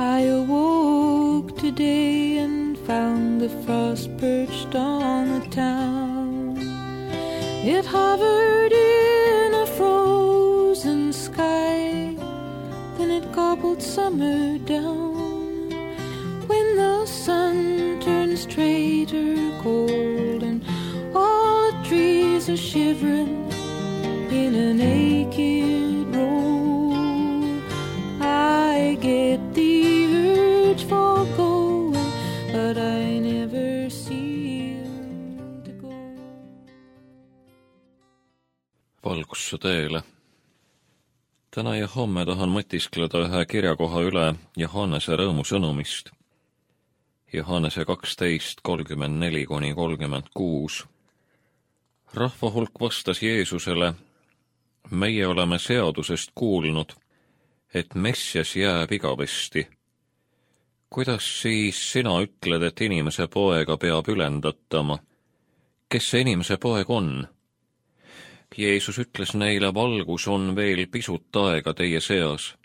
I awoke today and found the frost perched on the town. It hovered in a frozen sky, then it gobbled summer down. When the sun turns straighter gold and all the trees are shivering in a naked row, I get the urge for going, but I never seem to go. Valgusse teele. Täna ja homme tahan mõtiskleda ühe kirjakoha üle Johannese rõõmusõnumist. Johannese 12:34-36. Rahva hulk vastas Jeesusele: meie oleme seadusest kuulnud, et Messias jääb igavesti. Kuidas siis sina ütled, et inimese poega peab ülendatama? Kes see inimese poeg on? Jeesus ütles neile: valgus on veel pisut aega teie seas.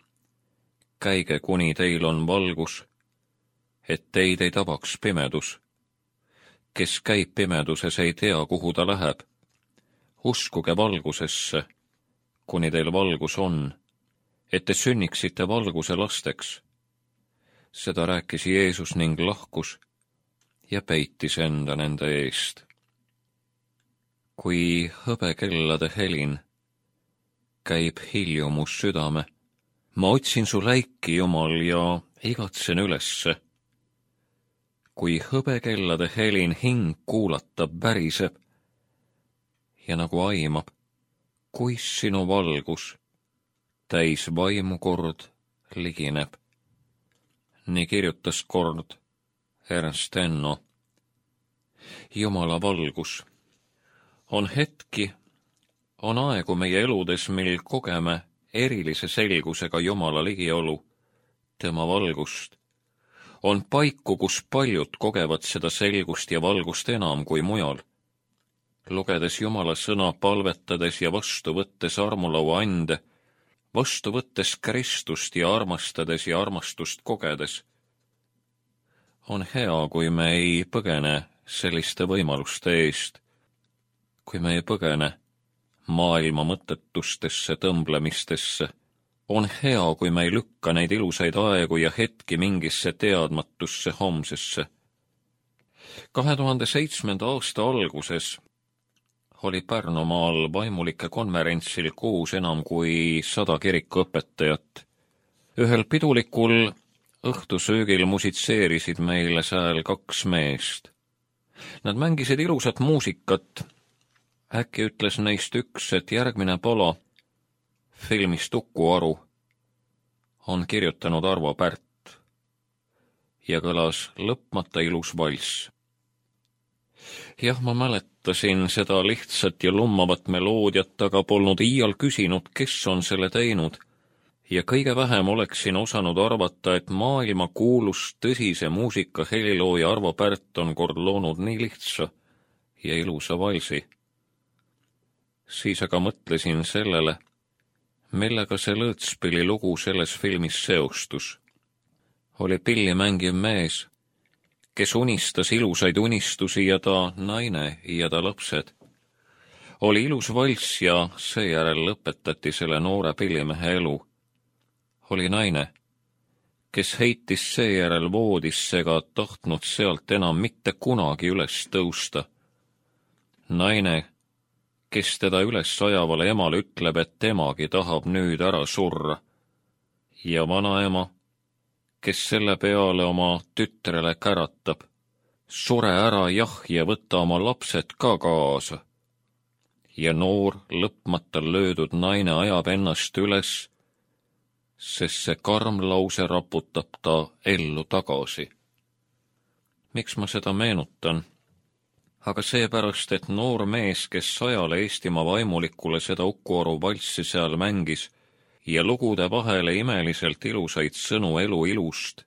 Käige, kuni teil on valgus, et teid ei tabaks pimedus. Kes käib pimeduses, ei tea, kuhu ta läheb. Uskuge valgusesse, kuni teil valgus on, et te sünniksite valguse lasteks. Seda rääkis Jeesus ning lahkus ja peitis enda nende eest. Kui hõbekellade helin, käib hiljumus südame. Ma otsin su läiki, Jumal, ja igatsen ülesse. Kui hõbekellade helin hing kuulatab, väriseb ja nagu aimab, kuis sinu valgus täis vaimu kord ligineb. Nii kirjutas kord Ernst Enno. Jumala valgus. On hetki, on aegu meie eludes, mil kogeme erilise selgusega Jumala ligiolu, tema valgust. On paiku, kus paljud kogevad seda selgust ja valgust enam kui mujal. Lugedes Jumala sõna, palvetades ja vastu võttes armulaua ande, vastu võttes Kristust ja armastades ja armastust kogedes. On hea, kui me ei põgene selliste võimaluste eest, kui me ei põgene maailma mõttetustesse tõmblemistesse. On hea, kui me ei lükka neid ilusaid aegu ja hetki mingisse teadmatusse homsesse. 2007. aasta alguses oli Pärnumaal vaimulike konverentsil koos enam kui 100 kirikuõpetajat. Ühel pidulikul õhtusöögil musitseerisid meile sääl 2 meest. Nad mängisid ilusat muusikat. Äkki ütles neist üks, et järgmine pala filmist Uku Aru on kirjutanud Arvo Pärt ja kõlas lõpmata ilus valss. Jah, ma mäletasin seda lihtsat ja lummavat meloodiat, aga polnud iial küsinud, kes on selle teinud, ja kõige vähem oleksin osanud arvata, et maailma kuulus tõsise muusika helilooja Arvo Pärt on kord loonud nii lihtsa ja ilusa valsi. Siis aga mõtlesin sellele, millega see lõõtspilli lugu selles filmis seostus. Oli pilli mängiv mees, kes unistas ilusaid unistusi ja ta naine ja ta lapsed. Oli ilus valss ja seejärel lõpetati selle noore pillimehe elu. Oli naine, kes heitis seejärel voodisse ega tahtnud sealt enam mitte kunagi üles tõusta. Naine, kes teda üles ajavale emale ütleb, et temagi tahab nüüd ära surra. Ja vanaema, kes selle peale oma tütrele käratab: sure ära, jah, ja võta oma lapsed ka kaasa. Ja noor, lõpmata löödud naine ajab ennast üles, sest see karm lause raputab ta ellu tagasi. Miks ma seda meenutan? Aga seepärast, et noor mees, kes 100 Eestimaa vaimulikule seda Uku Aru valssi seal mängis ja lugude vahele imeliselt ilusaid sõnu elu ilust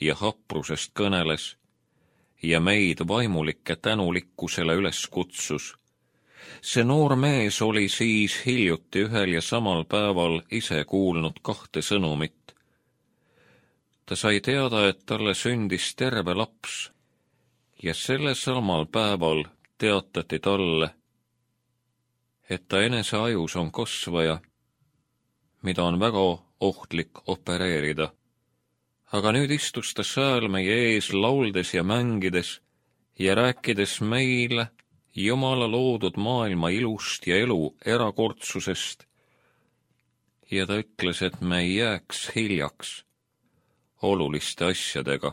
ja haprusest kõneles ja meid vaimulikke tänulikkusele üles kutsus. See noor mees oli siis hiljuti ühel ja samal päeval ise kuulnud 2 sõnumit. Ta sai teada, et talle sündis terve laps ja sellel samal päeval teatati talle, et ta enese ajus on kasvaja, mida on väga ohtlik opereerida. Aga nüüd istus ta seal meie ees lauldes ja mängides ja rääkides meile Jumala loodud maailma ilust ja elu erakordsusest. Ja ta ütles, et me ei jääks hiljaks oluliste asjadega.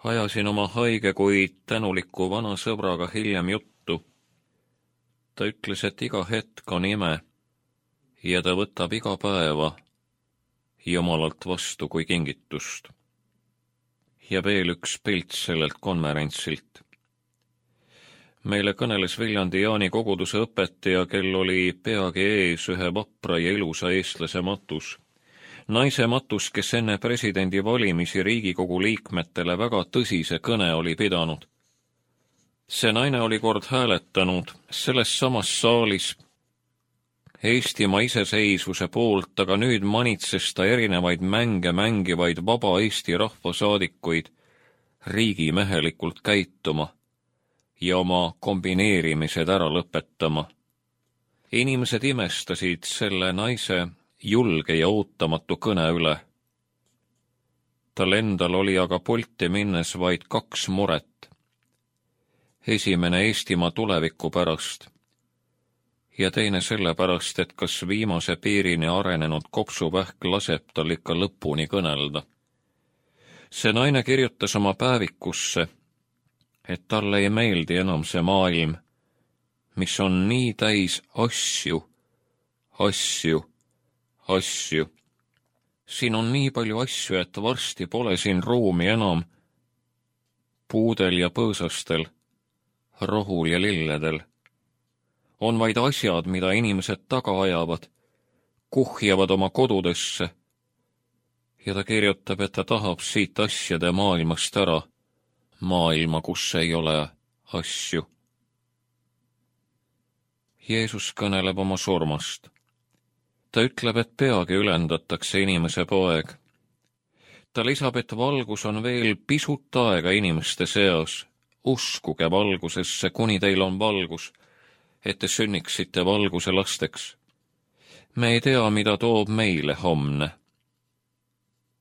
Ajasin oma haige, kuid tänuliku vana sõbraga hiljem juttu. Ta ütles, et iga hetk on ime ja ta võtab iga päeva Jumalalt vastu kui kingitust. Ja veel üks pilt sellelt konverentsilt. Meile kõneles Viljandi Jaani koguduse õpetaja, kel oli peagi ees ühe vapra ja ilusa eestlase matus. Naise matus, kes enne presidendi valimisi Riigikogu liikmetele väga tõsise kõne oli pidanud. See naine oli kord hääletanud selles samas saalis Eestimaa iseseisvuse poolt, aga nüüd manitses ta erinevaid mänge mängivaid vaba Eesti rahvasaadikuid riigimehelikult käituma ja oma kombineerimised ära lõpetama. Inimesed imestasid selle naise julge ja ootamatu kõne üle. Tal endal oli aga pulti minnes vaid 2 muret. Esimene Eestimaa tuleviku pärast ja teine sellepärast, et kas viimase piirini arenenud kopsuvähk laseb tal ikka lõpuni kõnelda. See naine kirjutas oma päevikusse, et talle ei meeldi enam see maailm, mis on nii täis asju. Siin on nii palju asju, et varsti pole siin ruumi enam puudel ja põõsastel, rohul ja lilledel. On vaid asjad, mida inimesed taga ajavad, kuhjavad oma kodudesse. Ja ta kirjutab, et ta tahab siit asjade maailmast ära, maailma, kus ei ole asju. Jeesus kõneleb oma surmast. Ta ütleb, et peagi ülendatakse inimese poeg. Ta lisab, et valgus on veel pisut aega inimeste seas. Uskuge valgusesse, kuni teil on valgus, et te sünniksite valguse lasteks. Me ei tea, mida toob meile homne.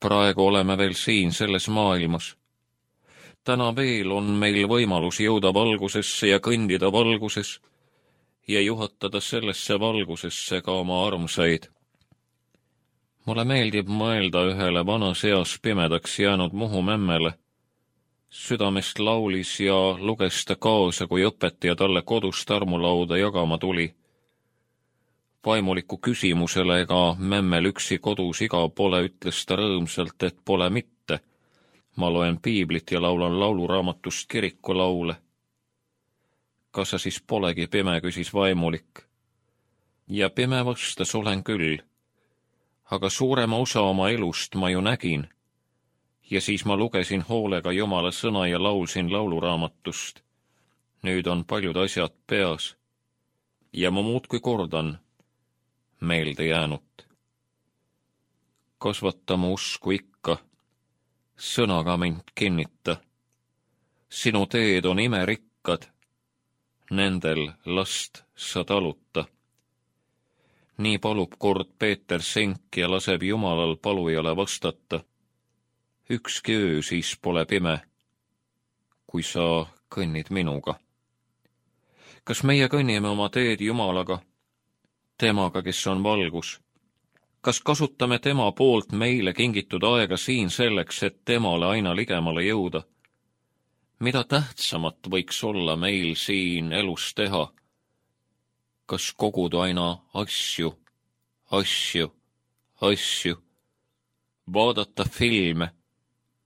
Praegu oleme veel siin selles maailmas. Täna veel on meil võimalus jõuda valgusesse ja kõndida valguses ja juhatada sellesse valgusesse ka oma armsaid. Mulle meeldib mõelda ühele vanas eas pimedaks jäänud Muhu memmele. Südamest laulis ja luges ta kaasa, kui õpetaja talle kodust armulauda jagama tuli. Vaimuliku küsimusele ega memmel üksi kodus iga pole, ütles ta rõõmsalt, et pole mitte. Ma loen piiblit ja laulan lauluraamatust kirikulaule. Kas sa siis polegi pime, küsis vaimulik. Ja pime vastas, olen küll. Aga suurema osa oma elust ma ju nägin. Ja siis ma lugesin hoolega Jumala sõna ja laulsin lauluraamatust. Nüüd on paljud asjad peas. Ja ma muudkui kordan meelde jäänut. Kasvata mu usku ikka, sõnaga mind kinnita. Sinu teed on imerikkad, nendel last sa taluta. Nii palub kord Peeter Senk ja laseb Jumalal palujale vastata. Ükski öö siis pole pime, kui sa kõnnid minuga. Kas meie kõnnime oma teed Jumalaga, temaga, kes on valgus? Kas kasutame tema poolt meile kingitud aega siin selleks, et temale aina ligemale jõuda? Mida tähtsamat võiks olla meil siin elus teha? Kas koguda aina asju, vaadata filme,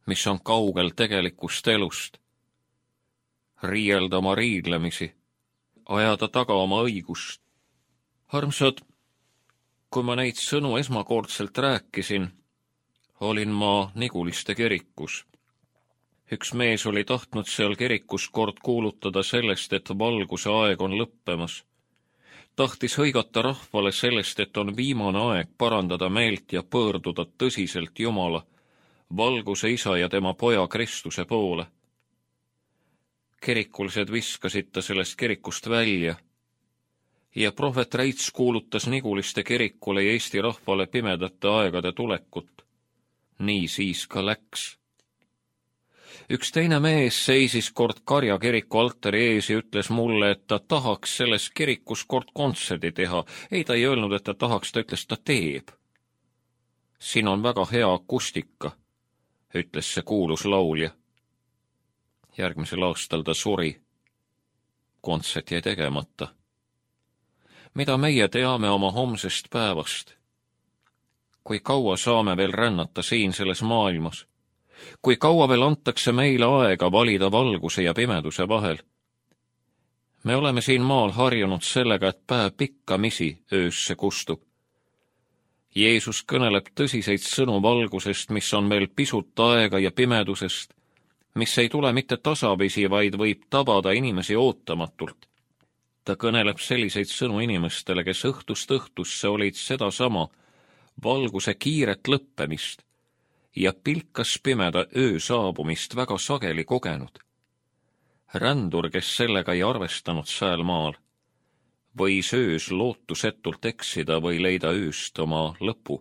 mis on kaugel tegelikust elust, riielda oma riidlemisi, ajada taga oma õigust? Armsad, kui ma neid sõnu esmakordselt rääkisin, olin ma Niguliste kirikus. Üks mees oli tahtnud seal kirikus kord kuulutada sellest, et valguse aeg on lõppemas. Tahtis hõigata rahvale sellest, et on viimane aeg parandada meelt ja pöörduda tõsiselt Jumala, valguse isa ja tema poja Kristuse poole. Kirikulised viskasid ta sellest kirikust välja ja prohvet Räits kuulutas Niguliste kirikule ja Eesti rahvale pimedate aegade tulekut. Nii siis ka läks. Üks teine mees seisis kord Karja kiriku altari ees ja ütles mulle, et ta tahaks selles kirikus kord kontserdi teha. Ei, ta ei öelnud, et ta tahaks, ta ütles, ta teeb. Siin on väga hea akustika, ütles see kuulus laulja. Järgmisel aastal ta suri. Kontsert jäi tegemata. Mida meie teame oma homsest päevast? Kui kaua saame veel rännata siin selles maailmas? Kui kaua veel antakse meile aega valida valguse ja pimeduse vahel? Me oleme siin maal harjunud sellega, et päev pikkamisi öösse kustub. Jeesus kõneleb tõsiseid sõnu valgusest, mis on veel pisut aega, ja pimedusest, mis ei tule mitte tasapisi, vaid võib tabada inimesi ootamatult. Ta kõneleb selliseid sõnu inimestele, kes õhtust õhtusse olid sedasama valguse kiiret lõppemist ja pilkas pimeda öö saabumist väga sageli kogenud. Rändur, kes sellega ei arvestanud sääl maal, võis öös lootusetult eksida või leida ööst oma lõpu.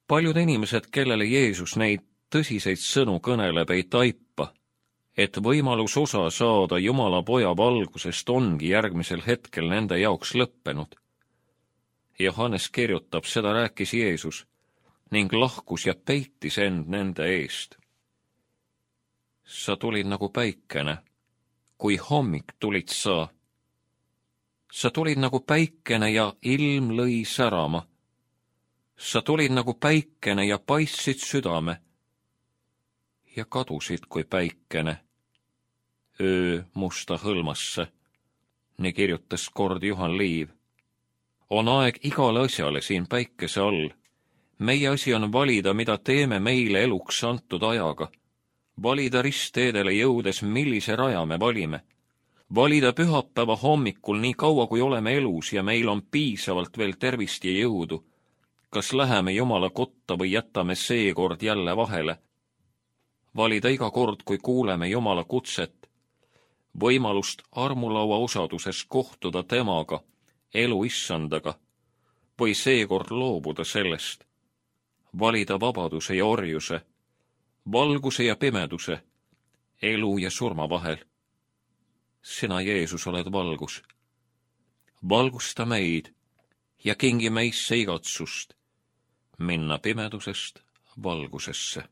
Paljud inimesed, kellele Jeesus neid tõsiseid sõnu kõneleb, ei taipa, et võimalus osa saada Jumala poja valgusest ongi järgmisel hetkel nende jaoks lõppenud. Johannes kirjutab, seda rääkis Jeesus ning lahkus ja peitis end nende eest. Sa tulid nagu päikene, kui hommik tulid sa. Sa tulid nagu päikene ja ilm lõi särama. Sa tulid nagu päikene ja paistsid südame ja kadusid kui päikene öö musta hõlmasse. Nii kirjutas kord Juhan Liiv. On aeg igale asjale siin päikese all. Meie asi on valida, mida teeme meile eluks antud ajaga. Valida ristteedele jõudes, millise raja me valime. Valida pühapäeva hommikul nii kaua, kui oleme elus ja meil on piisavalt veel tervist ja jõudu. Kas läheme Jumala kotta või jätame seekord jälle vahele? Valida iga kord, kui kuuleme Jumala kutset, võimalust armulaua osaduses kohtuda temaga, elu issandaga, või seekord loobuda sellest. Valida vabaduse ja orjuse, valguse ja pimeduse, elu ja surma vahel. Sina, Jeesus, oled valgus. Valgusta meid ja kingi meisse igatsust minna pimedusest valgusesse.